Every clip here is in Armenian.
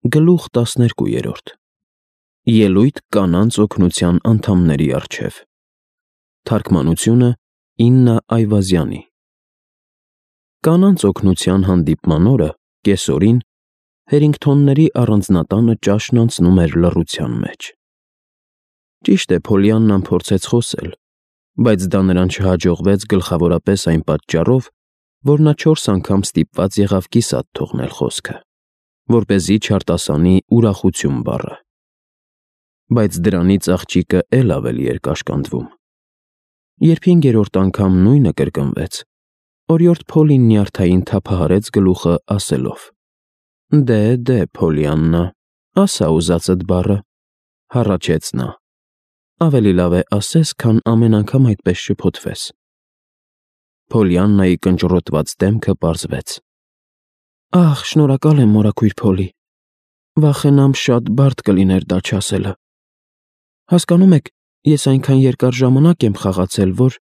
Գլուխ 12. Ելույթ կանանց օգնության անդամների առջև։ Թարգմանությունը Իննա Այվազյանի։ Կանանց օգնության հանդիպման օրը, կեսօրին, Հերինգթոնների առանձնատանը ճաշն անցնում էր լռության մեջ։ Ճիշտ է, Փոլիաննան փորձեց խոսել, բայց դա նրան չհաջողվեց գլխավորապես այն պատճառով, որ նա 4 անգամ ստիպված եղավ կիսատ թողնել խոսքը, որպեսզի չարտասանի ուրախություն բառը։ Բայց դրանից աղջիկը էլ ավելի էր կաշկանդվում։ Երբ 5-րդ անգամ նույնը կրկնվեց, օրիորդ Փոլին նյարդային թափահարեց գլուխը, ասելով. «Դե, Փոլիաննա, ասա ուզածդ բառը», հառաչեց նա։ «Ավելի լավ է ասես, քան ամեն անգամ այդպես շփոթվես»։ Փոլիաննայի կնճռոտված դեմքը պարզվեց։ «Ահ, շնորհակալ եմ, մորաքույր Փոլի, վախենամ շատ բարդ կլիներ դա չասելը։ Հասկանում եք, ես այնքան երկար ժամանակ եմ խաղացել, որ…»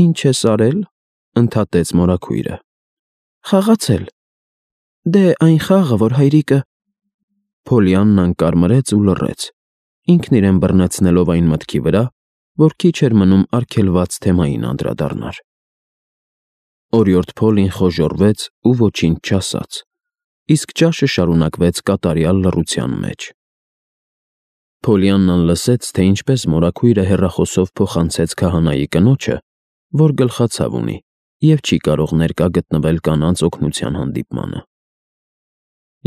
«Ինչ ես արել», ընդհատեց մորաքույրը։ «Խաղացել։ Դե, այն խաղը, որ հայրիկը…» Փոլիաննան կարմրեց ու լռեց, ինքն իրեն բռնեցնելով այն մտքի վրա, որ քիչ էր մնում արգելված թեմային անդրադառնար։ Օրիորդ Փոլին խոժոռվեց ու ոչինչ չասաց, իսկ ճաշը շարունակվեց կատարյալ լռության մեջ։ Փոլիաննան լսեց, թե ինչպես մորաքույրը հեռախոսով փոխանցեց քահանայի կնոջը, որ գլխացավ ունի և չի կարող ներկա գտնվել կանանց օգնության հանդիպմանը։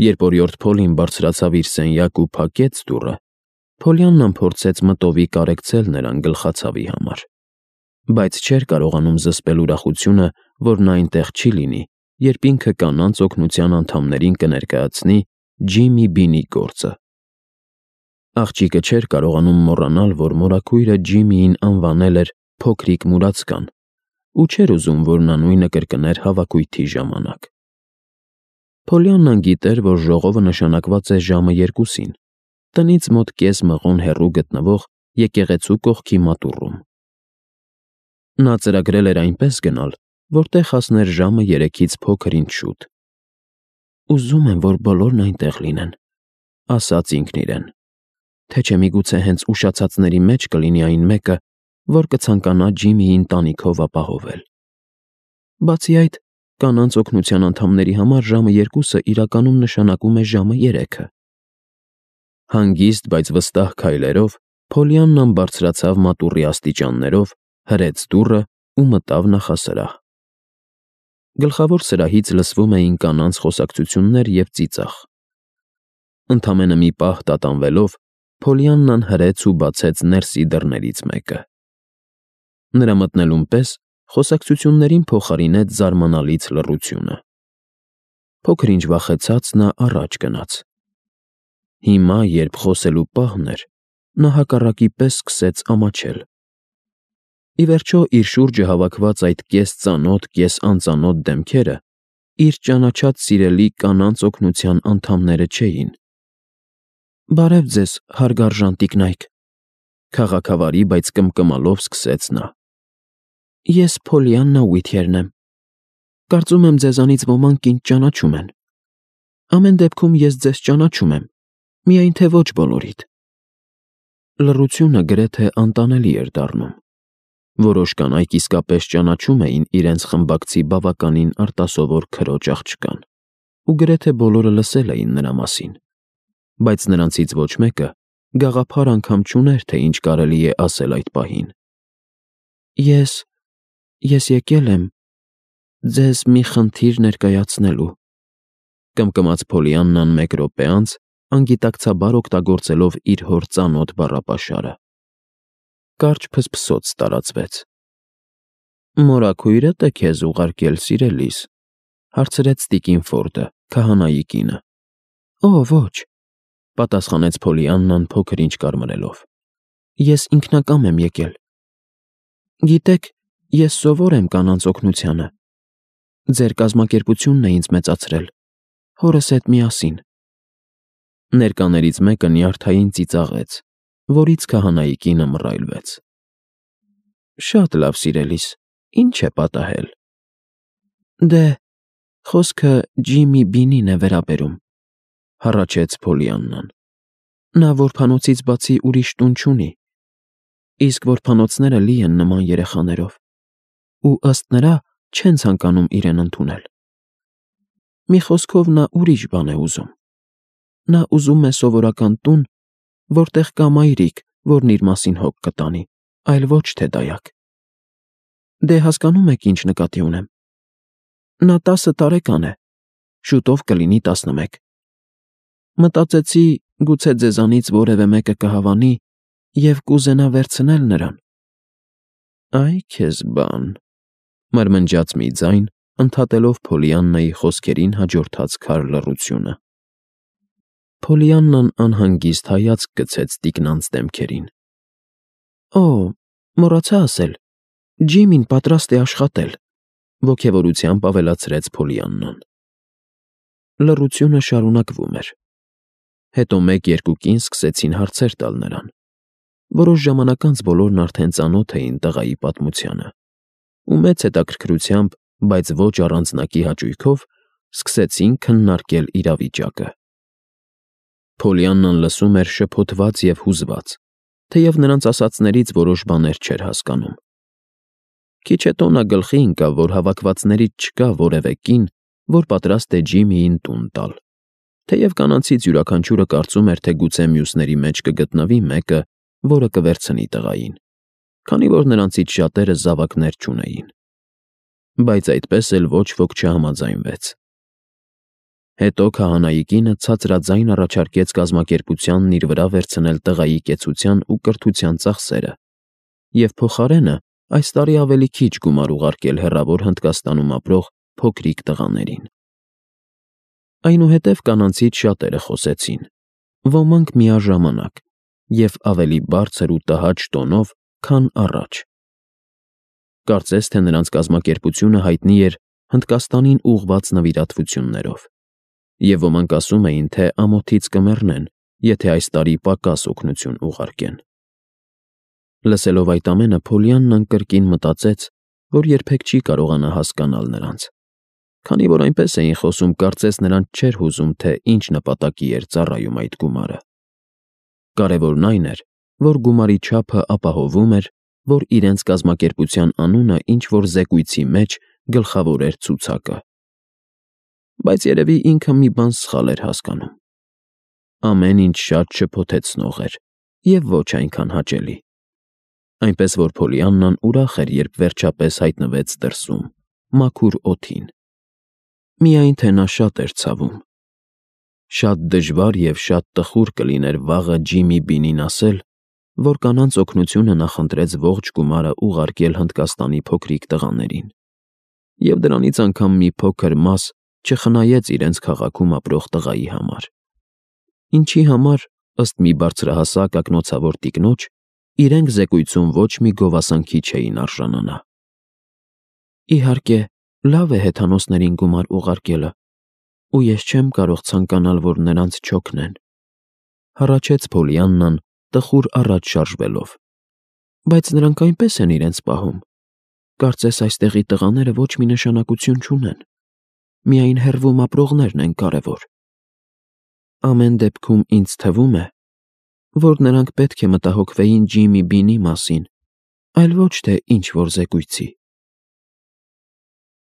Երբ օրիորդ Փոլին բարձրացավ իր սենյակ ու փակեց դուռը, Փոլիաննան փորձեց մտովի կարեկցել նրան գլխացավի համար, բայց չէր կարողանում զսպել ուրախությունը, որ նա այնտեղ չի լինի, երբ ինքը կանանց օգնության անդամներին կներկայացնի Ջիմի Բինի գործը։ Աղջիկը չէր կարողանում մոռանալ, որ մորաքույրը Ջիմիին անվանել էր փոքրիկ մուրացկան ու չէր ուզում, որ նա նույնը կրկներ հավաքույթի ժամանակ։ Փոլիաննան գիտեր, որ ժողովը նշանակված է ժամը 2-ին, տնից մոտ կես մղոն հեռու գտնվող եկեղեցու կողքի մատուռում։ Նա ծրագրել էր այնպես գնալ, որտեղ հասներ ժամը 3-ից փոքր-ինչ շուտ։ «Ուզում եմ, որ բոլորն այնտեղ լինեն», ասաց ինքն իրեն, թե չէ միգուցե հենց ուշացածների մեջ կլինի այն մեկը, որ կցանկանա Ջիմիի ընտանիքով ապահովել։ Բացի այդ, կանանց օգնության անդամների համար ժամը 2-ը իրականում նշանակում է ժամը 3-ը։ Հանգիստ, բայց վստահ քայլերով Փոլիաննան բարձրացավ մատուռի աստիճաններով, հրեց դուռը ու մտավ նախասրահ։ Գլխավոր սրահից լսվում էին կանանց խոսակցություններ և ծիծաղ։ Ընդամենը մի պահ տատանվելով, Փոլիաննան հրեց ու բացեց ներսի դռներից մեկը։ Նրա մտնելուն պես խոսակցություններին փոխարինեց զարմանալից լռությունը։ Փոքր-ինչ վախեցած նա առաջ գնաց։ Հիմա, երբ խոսելու պահն էր, նա հակառակի պես սկսեց ամաչել։ Ի վերջո, իր շուրջը հավաքված այդ կես ծանոթ, կես անծանոթ դեմքերը իր ճանաչած սիրելի կանանց օգնության անդամները չէին։ «Բարև ձեզ, հարգարժան տիկնայք», քաղաքավարի, բայց կմկմալով սկսեց նա։ «Ես Փոլիաննա Ուիթյերն եմ։ Կարծում եմ, ձեզանից ոմանք ինձ ճանաչում են։ Ամեն դեպքում ես ձեզ ճանաչում եմ, միայն թե ոչ բոլորիդ»։ Լռությունը գրեթե անտանելի էր դառնում։ Որոշ կանայք իսկապես ճանաչում էին իրենց խմբակցի բավականին արտասովոր քրոջ աղջկան, ու գրեթե բոլորը լսել էին նրա մասին, բայց նրանցից ոչ մեկը գաղափար անգամ չուներ, թե ինչ կարելի է ասել այդ պահին։ Ես եկել եմ ձեզ մի խնդիր ներկայացնելու, կմկմաց Փոլիաննան մեկ րոպե անց, անգիտակցաբար օգտագործելով իր հոր ծանոթ բառապաշարը։ Կարճ փսփսոց տարածվեց։ «Մորաքույրդ է քեզ ուղարկել, սիրելիս», հարցրեց տիկին Ֆորդը, քահանայի կինը։ «Օ, ոչ», պատասխանեց Փոլիաննան փոքր-ինչ կարմրելով։ «Ես ինքնակամ եմ եկել։ Գիտեք, ես սովոր եմ կանանց օգնությանը։ Ձեր կազմակերպությունն է ինձ մեծացրել, հորս հետ միասին»։ Ներկաներից մեկը նյարդային ծիծաղեց, որից քահանայի կինը մռայլվեց։ «Շատ լավ, սիրելիս, ինչ է պատահել»։ «Դե, խոսքը Ջիմի Բինին է վերաբերում», հառաչեց Փոլիաննան։ Նա որբանոցից բացի ուրիշ տուն չունի, իսկ որբանոցները լի են նման երեխաներով, ու ըստ նրա չեն ցանկանում իրեն ընդունել։ Մի խոսքով նա ուրիշ բան է ուզում։ Նա ուզում է սովորական տուն, որտեղ կա մայրիկ, որն իր մասին հոգ կտանի, այլ ոչ թե դայակ։ Դե հասկանում եք ինչ նկատի ունեմ։ Նա 10 տարեկան է, շուտով կլինի 11։ Մտածեցի, գուցե ձեզանից որևէ մեկը կհավանի և կուզենա վերցնել նրան։ Այ քեզ բան, մրմնջաց մի ձայն, ընդհատելով Փոլիաննայի խոսքերին հաջորդած քար լռությունը։ Փոլիաննան անհանգիստ հայացք գցեց տիկնանց դեմքերին։ Օ, մոռացա ասել, Ջիմին պատրաստ է աշխատել, ոգևորությամբ ավելացրեց Փոլիաննան։ Լռությունը շարունակվում էր։ Հետո 1-2 կին սկսեցին հարցեր տալ նրան։ Որոշ ժամանակ անց բոլորն արդեն ծանոթ էին տղայի պատմությանը, ու մեծ հետաքրքրությամբ, բայց ոչ առանձնակի հաճույքով, սկսեցին քննարկել իրավիճակը։ Փոլիաննան լսում էր շփոթված և հուզված, թեև նրանց ասածներից որոշ բաներ չէր հասկանում։ Քիչ հետո նա գլխի ընկավ, որ հավաքվածներից չկա որևէ կին, որ պատրաստ է Ջիմիին տուն տալ, թեև կանանցից յուրաքանչյուրը կարծում էր, թե գուցե մյուսների մեջ կգտնվի մեկը, որը կվերցնի տղային, քանի որ նրանցից շատերը զավակներ չունեին։ Բայց այդպես էլ ոչ ոք չհամաձայնվեց։ Հետո քահանայի կինը ցածրաձայն առաջարկեց կազմակերպությանն իր վրա վերցնել տղայի կեցության ու կրթության ծախսերը և փոխարենը այս տարի ավելի քիչ գումար ուղարկել հեռավոր Հնդկաստանում ապրող փոքրիկ տղաներին։ Այնուհետև կանանցից շատերը խոսեցին, ոմանք միաժամանակ և ավելի բարձր ու տհաճ տոնով, քան առաջ։ Կարծես թե նրանց կազմակերպությունը հայտնի էր Հնդկաստանին ուղղված նվիրատվություններով, և ոմանք ասում էին, թե ամոթից կմեռնեն, եթե այս տարի պակաս օգնություն ուղարկեն։ Լսելով այդ ամենը, Փոլիաննան կրկին մտածեց, որ երբեք չի կարողանա հասկանալ նրանց, քանի որ այնպես էին խոսում, կարծես նրանց չէր հուզում, թե ինչ նպատակի էր ծառայում այդ գումարը։ Կարևորն այն էր, որ գումարի չափը ապահովում էր, որ իրենց կազմակերպության անունը ինչ-որ զեկույցի մեջ գլխավոր էր ցուցակը։ Բայց երևի ինքը մի բան սխալ էր հասկանում։ Ամեն ինչ շատ շփոթեցնող էր և ոչ այնքան հաճելի։ Այնպես որ Փոլիաննան ուրախ էր, երբ վերջապես հայտնվեց դրսում, մաքուր օդին։ Միայն թե նա շատ էր ցավում։ Շատ դժվար և շատ տխուր կլիներ վաղը Ջիմի Բինին ասել, որ կանանց օգնությունը նախընտրեց ողջ գումարը ուղարկել Հնդկաստանի փոքրիկ տղաներին, և դրանից անգամ մի փոքր մաս չխնայեց իրենց քաղաքում ապրող տղայի համար, ինչի համար, ըստ մի բարձրահասակ ակնոցավոր տիկնոջ, իրենք զեկույցում ոչ մի գովասանքի չէին արժանանա։ Իհարկե, լավ է հեթանոսներին գումար ուղարկելը, ու ես չեմ կարող ցանկանալ, որ նրանց չօգնեն, հառաչեց Փոլիաննան, տխուր առաջ շարժվելով։ Բայց նրանք այնպես են իրենց պահում։ Կարծես այստեղի տղաները ոչ մի նշանակություն չունեն, միայն հեռվում ապրողներն են կարևոր։ Ամեն դեպքում ինձ թվում է, որ նրանք պետք է մտահոգվեին Ջիմի Բինի մասին, այլ ոչ թե ինչ-որ զեկույցի։